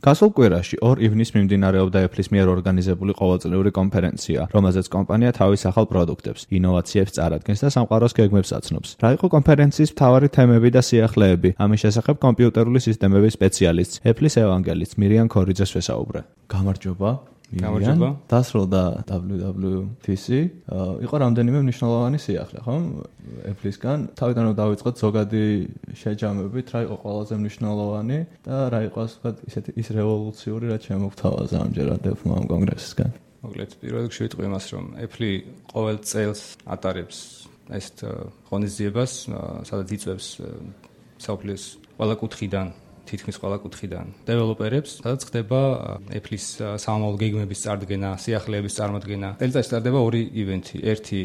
გასულ კვირაში 2 ივნისს მიმდინარეობდა Apple-ის მიერ ორგანიზებული ყოველწლიური კონფერენცია, რომელზეც კომპანია თავის ახალ პროდუქტებს, ინოვაციებს წარადგენს და სამყაროს გეგმებს აცნობს. რა იყო კონფერენციის მთავარი თემები და სიახლეები? ამის შესახებ კომპიუტერული სისტემების სპეციალისტ, Apple-ის ევანგელისტ მირიან ქორიძეს ვესაუბრე. გამარჯობა. გამარჯობა. დასრულდა WWDC. იყო რამდენიმე მნიშვნელოვანი სიახლე, ხო? Apple-ისგან თავიდან რომ დავიწყოთ ზოგადი შეჯამებით, რა იყო ყველაზე მნიშვნელოვანი და რა იყო ისეთი ის რევოლუციური, რაც შემოგთავაზა ამჯერად Apple-მა ამ კონგრესისგან. მოკლედ, პირველ რიგში ვიტყვი იმას, რომ Apple ყოველ წელს ატარებს ეს ღონისძიებას, სადაც იწვევს საოფლის ყველა კუთხიდან თითქმის ყველა კუთხიდან დეველოპერებს, სადაც ხდება Apple-ის სამომავლო გეგმების წარდგენა, სიახლეების წარმოდგენა. წელიწადში ტარდება 2 ივენთი. ერთი,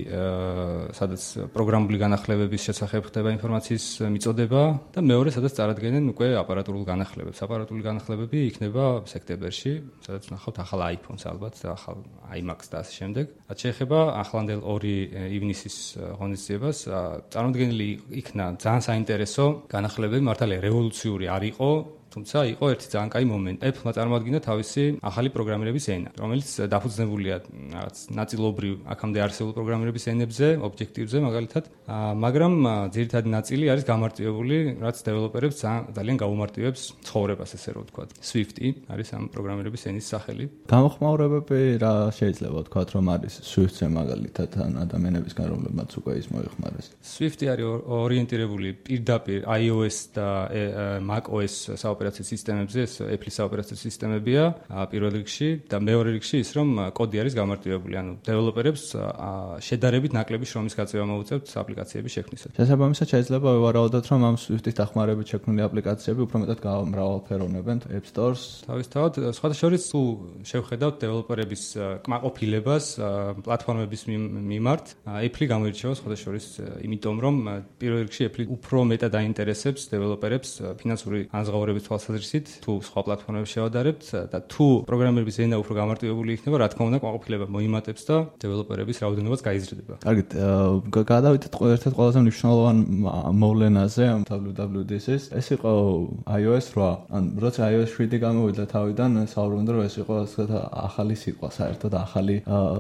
სადაც პროგრამული განახლებების შესახებ ხდება ინფორმაციის მიწოდება და მეორე, სადაც წარადგენენ უკვე აპარატურულ განახლებებს. აპარატურული განახლებები იქნება სექტემბერში, სადაც ნახავთ ახალ iPhone-ს ალბათ, ახალ iMac-ს და ასე შემდეგ. რაც შეეხება ახლანდელ 2 ივნისის ღონისძიებას, წარმოდგენილი იქნა ძალიან საინტერესო განახლებები, მართალია რევოლუციური არ იყო, თუმცა იყო ერთი ძალიან კაი მომენტი. Apple-მა წარმოადგინა თავისი ახალი პროგრამირების ენა, რომელიც დაფუძნებულია რაღაც ნაწილობრივ აქამდე არსებულ პროგრამირების ენებზე, ობიექტივზე მაგალითად, მაგრამ ძირითადი ნაწილი არის გამარტივებული, რაც დეველოპერებს ძალიან გაუმარტივებს ცხოვრებას, ესე რომ ვთქვათ. Swift-ი არის ამ პროგრამირების ენის სახელი. გამოხმაურებები რა შეიძლება ვთქვათ, რომ არის Swift-ზე მაგალითად ან ადამიანებისგან, რომლებმაც უკვე ის მოიხმარეს. Swift-ი არის ორიენტირებული პირდაპირ iOS და macOS ოპერაციის სისტემებზე, ეს Apple-ის ოპერაციის სისტემებია პირველ რიგში და მეორე რიგში ის რომ კოდი არის გამარტივებული, ანუ დეველოპერებს შედარებით ნაკლები შრომის გაწევა მოუწევთ აპლიკაციების შექმნისას. შესაბამისად შეიძლება ვივარაუდოთ, რომ ამ Swift-ის დახმარებით შექმნილი აპლიკაციები უფრო მეტად მრავალფეროვნებენ App Store-ს. თავისთავად, სხვათა შორის თუ შევხედავთ დეველოპერების კმაყოფილებას პლატფორმების მიმართ, Apple გამოირჩევა სხვათა შორის იმიტომ, რომ პირველ რიგში Apple უფრო მეტად აინტერესებს დეველოპერებს ფინანსური ანაზღაურების თვალსაზრისით, თუ სხვა პლატფორმებს შევადარებთ და თუ პროგრამირების ენა უფრო გამარტივებული იქნება, რა თქმა უნდა, კმაყოფილება მოიმატებს და დეველოპერების რაოდენობაც გაიზრდება. კარგით, გადავიდეთ ერთ-ერთ ყველაზე მნიშვნელოვან მოვლენაზე ამ WWDC-ს. ეს იყო iOS 8. ან როცა iOS 7 გამოვიდა თავიდან, საუბრობდნენ, რომ ეს იყო ასეთ ახალი სიტყვა, საერთოდ ახალი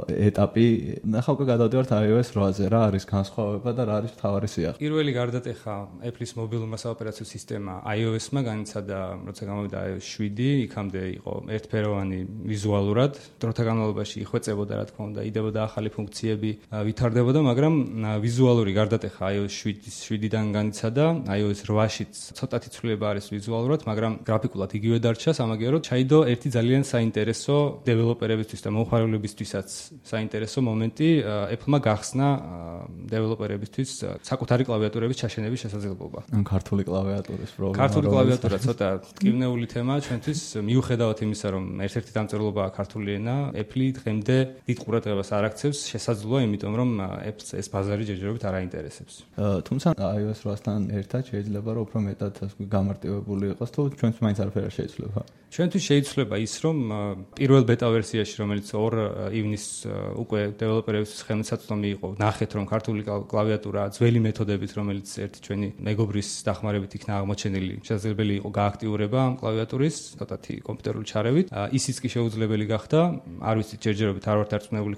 ეტაპი. ნახავ გადავდივართ iOS 8-ზე, რა არის განსხვავება და რა არის მთავარი სიახლე? პირველი გარდატეხა Apple-ის მობილურმა საოპერაციო სისტემა iOS-მა განიცადა, როცა გამოვიდა iOS 7, იქამდე იყო ერთფეროვანი ვიზუალურად, დროთა განმავლობაში იხვეწებოდა, რა თქმა უნდა, იდებოდა ახალი ფუნქციები, ვითარდებოდა, მაგრამ ვიზუალური გარდატეხა iOS 7-დან განიცადა, iOS 8-შიც ცოტათი ცვლილება არის ვიზუალურად, მაგრამ გრაფიკულად იგივე დარჩა, სამაგიეროდ ჩაიდო ერთი ძალიან საინტერესო დეველოპერებისთვის და მომხმარებლებისთვისაც საინტერესო მომენტი, Apple-მა გახსნა დეველოპერებისთვის საკუთარი კლავიატურების ჩაშენების შესაძლებლობა. ან ქართული კლავიატურის პრობლემა. ქართული კლავიატურა ცოტა ტკივნეული თემაა ჩვენთვის, მიუხედავად იმისა, რომ ერთ-ერთი დამწერლობაა ქართული ენა, Apple დღემდე დიდ ყურადღებას არ აქცევს, შესაძლოა, იმიტომ რომ Apple-ს ეს ბაზარი ჯერჯერობით არ აინტერესებს. თუმცა iOS 8-თან ერთად შეიძლება რომ უფრო მეტად გამარტივებული იყოს, თუ ჩვენც მაინც არაფერი არ შეიძლება. ჩვენთვის შეიძლება ის, რომ პირველ ბეტა ვერსიაში, რომელიც 2 ივნისს უკვე დეველოპერებისთვის ხელმისაწვდომი იყო, ნახეთ, რომ ქართული კლავიატურა ძველი მეთოდებით, რომელიც ერთი ჩვენი მეგობრის დახმარებით იქნა აღმოჩენილი, შესაძლებელი იყო გააქტიურება ამ კლავიატურის, ცოტათი კომპიუტერული ჩარევით. ისიც კი შეუძლებელი გახდა, არ ვიცით ჯერჯერობით არ ვართ დარწმუნებული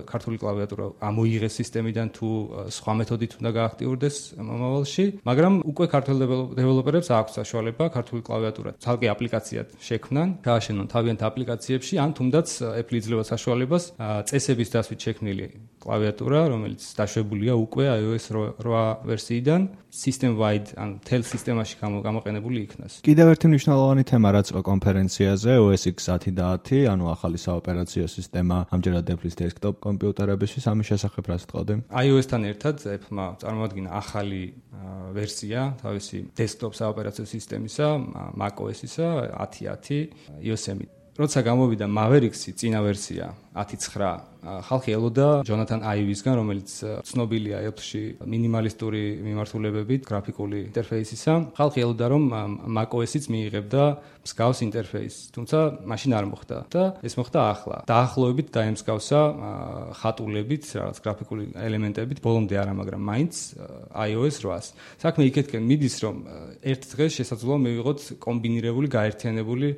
ქართული კლავიატურა ამოიღეს სისტემიდან თუ სხვა მეთოდით უნდა გააქტიურდეს მომავალში, მაგრამ უკვე ქართულ დეველოპერებს აქვს საშუალება ქართული კლავიატურა ცალკე აპლიკაციად შექმნან, გააშენონ თავიანთ აპლიკაციებში, ან თუნდაც Apple იძლევა საშუალებას წესების დასვით შექმნილი კლავიატურა, რომელიც დაშვებულია უკვე iOS 8 ვერსიიდან, system-wide ან თელ სისტემაში გამოყენებული იქნას. კიდევ ერთი მნიშვნელოვანი თემა, რაც კონფერენციაზე OS X 10 და 10, ანუ ახალი საოპერაციო სისტემა, ამჯერად Apple-ის desktop კომპიუტერებისთვის, ამის შესახებ რას თქოდი? iOS-თან ერთად Apple-მა წარმოადგინა ახალი ვერსია თავისი desktop საოპერაციო სისტემისა, macOS-ისა 10.10 Yosemite. როცა გამოვიდა Mavericks-ი წინა ვერსია 10.9, ხალხი ელოდა ჯონათან აივისგან, რომელიც ცნობილია Apple-ში მინიმალისტური მიმართულებებით, გრაფიკული ინტერფეისისა. ხალხი ელოდა, რომ macOS-იც მიიღებდა მსგავს ინტერფეისს, თუმცა მაშინ არ მოხდა და ეს მოხდა ახლა. დაახლოებით დაემსგავსა ხატულებით, რაღაც გრაფიკული ელემენტებით, ბოლომდე არა, მაგრამ მაინც iOS 8-ს. საქმე იქეთკენ მიდის, რომ ერთ დღეს შესაძლოა მივიღოთ კომბინირებული, გაერთიანებული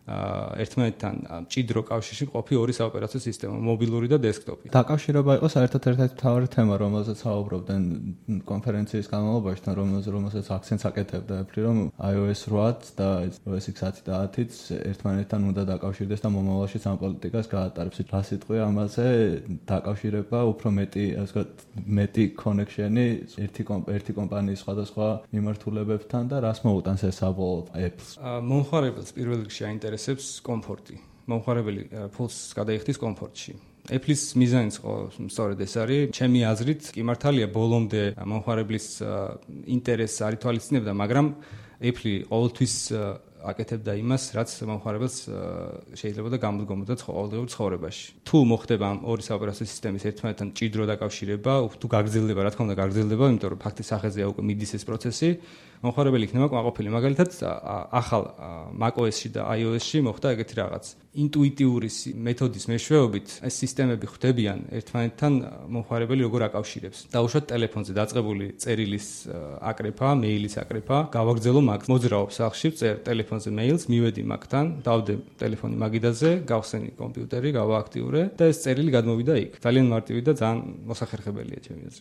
ერთმანეთთან მჭიდრო კავშირში მყოფი ორი საოპერაციო სისტემა, მობილური და დესკტოპი. დაკავშირება იყო საერთოდ ერთ-ერთი მთავარი თემა, რომელზეც საუბრობდნენ კონფერენციის განმავლობაში, რომელსაც აქცენტს აკეთებდა Apple, რომ iOS 8 და OS X 10 და 10-იც ერთმანეთთან უნდა დაკავშირდეს და მომავალში სამ პოლიტიკას გაატარებს. რა სიტყვია ამაზე დაკავშირება, უფრო მეტი კონექშენი ერთი კომპანიის სხვადასხვა მიმართულებებთან და რას მოუტანს ეს საბოლოოდ Apple-ს? მომხმარებელს პირველ რიგში აინტერესებს კომფორტი. მომხმარებელი ფულს გადაიხდის კომფორტში. Apple-ის მიზანიც სწორედ ეს არის. ჩემი აზრით, კი მართალია ბოლომდე მომხმარებლის ინტერესს არ ითვალისწინებდა, მაგრამ Apple ყოველთვის აკეთებდა იმას, რაც მომხმარებელს შეიძლება და გამოდგომოდა ყოველდღიურ ცხოვრებაში. თუ მოხდება ამ ორი საოპერაციო სისტემის ერთმანეთთან მჭიდრო დაკავშირება, თუ გაგრძელდება, რა თქმა უნდა გაგრძელდება, იმიტომ რომ ფაქტის სახეზეა უკვე მიდის ეს პროცესი, მომხმარებელი იქნება კმაყოფილი. მაგალითად, ახალ macOS-ში და iOS-ში მოხდა ეგეთი რაღაც. ინტუიტიური მეთოდის მეშვეობით ეს სისტემები ხვდებიან ერთმანეთთან მომხმარებელი როგორ აკავშირებს. დაუშვათ ტელეფონზე დაწყებული წერილის აკრეფა, მეილის აკრეფა, გავაგრძელო მაგ. მოძრაობს სახლში, წერ ტელეფონზე მეილს, მივედი მაგთან, დავდე ტელეფონი მაგიდაზე, გავხსენი კომპიუტერი, გავააქტიურე და ეს წერილი გადმოვიდა იქ. ძალიან მარტივი და ძალიან მოსახერხებელია ჩემი აზრით.